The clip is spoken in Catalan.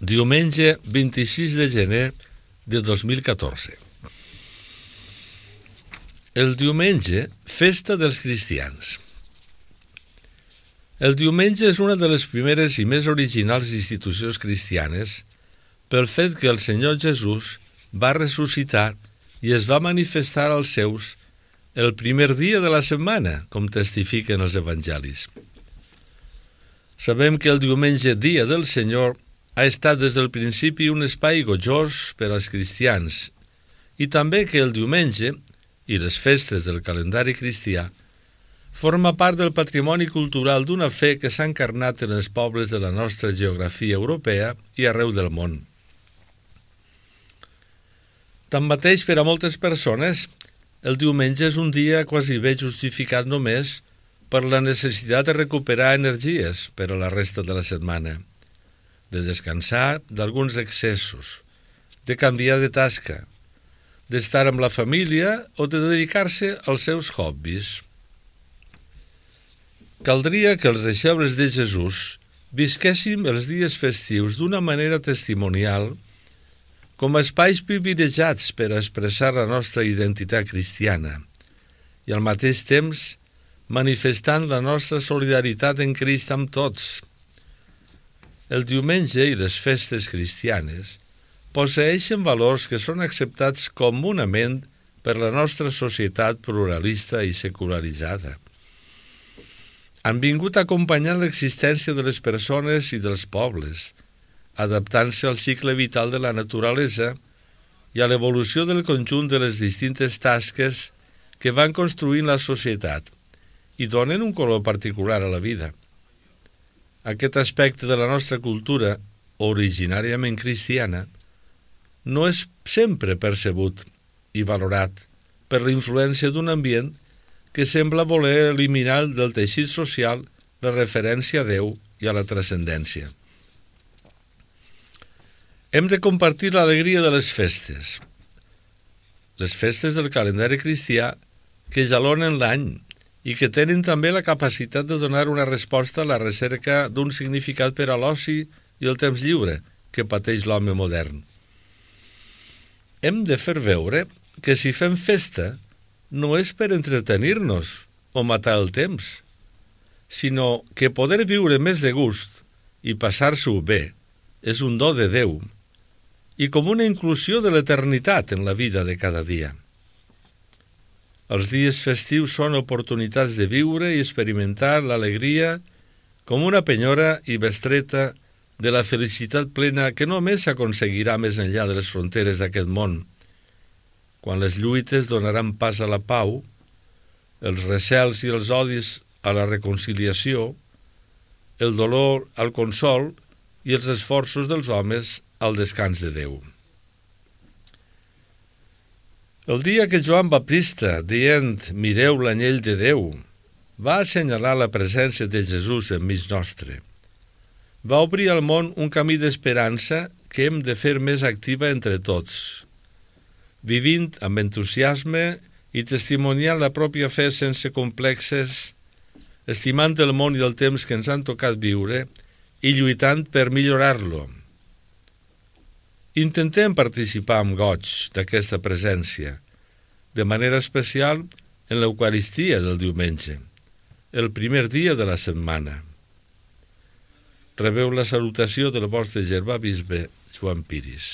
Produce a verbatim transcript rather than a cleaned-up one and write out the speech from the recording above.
Diumenge vint-i-sis de gener de dos mil catorze. El diumenge, festa dels cristians. El diumenge és una de les primeres i més originals institucions cristianes pel fet que el Senyor Jesús va ressuscitar i es va manifestar als seus el primer dia de la setmana, com testifiquen els evangelis. Sabem que el diumenge, dia del Senyor, ha estat des del principi un espai gojós per als cristians i també que el diumenge i les festes del calendari cristià forma part del patrimoni cultural d'una fe que s'ha encarnat en els pobles de la nostra geografia europea i arreu del món. Tanmateix, per a moltes persones, el diumenge és un dia quasi bé justificat només per la necessitat de recuperar energies per a la resta de la setmana, de descansar d'alguns excessos, de canviar de tasca, d'estar amb la família o de dedicar-se als seus hobbies. Caldria que els deixebles de Jesús visquéssim els dies festius d'una manera testimonial com a espais privilegiats per a expressar la nostra identitat cristiana i al mateix temps manifestant la nostra solidaritat en Crist amb tots. El diumenge i les festes cristianes posseeixen valors que són acceptats comunament per la nostra societat pluralista i secularitzada. Han vingut acompanyant l'existència de les persones i dels pobles, adaptant-se al cicle vital de la naturalesa i a l'evolució del conjunt de les distintes tasques que van construint la societat i donen un color particular a la vida. Aquest aspecte de la nostra cultura, originàriament cristiana, no és sempre percebut i valorat per la influència d'un ambient que sembla voler eliminar del teixit social la referència a Déu i a la transcendència. Hem de compartir l'alegria de les festes. Les festes del calendari cristià que jalonen l'any i que tenen també la capacitat de donar una resposta a la recerca d'un significat per a l'oci i el temps lliure que pateix l'home modern. Hem de fer veure que si fem festa no és per entretenir-nos o matar el temps, sinó que poder viure més de gust i passar-s'ho bé és un do de Déu i com una inclusió de l'eternitat en la vida de cada dia. Els dies festius són oportunitats de viure i experimentar l'alegria com una penyora i bestreta de la felicitat plena que només s'aconseguirà més enllà de les fronteres d'aquest món, quan les lluites donaran pas a la pau, els recels i els odis a la reconciliació, el dolor al consol i els esforços dels homes al descans de Déu. El dia que Joan Baptista, dient «Mireu l'anyell de Déu», va assenyalar la presència de Jesús enmig nostre, va obrir al món un camí d'esperança que hem de fer més activa entre tots, vivint amb entusiasme i testimoniant la pròpia fe sense complexes, estimant el món i el temps que ens han tocat viure i lluitant per millorar-lo. Intentem participar amb goig d'aquesta presència, de manera especial en l'Eucaristia del diumenge, el primer dia de la setmana. Rebeu la salutació del vostre germà bisbe Joan Piris.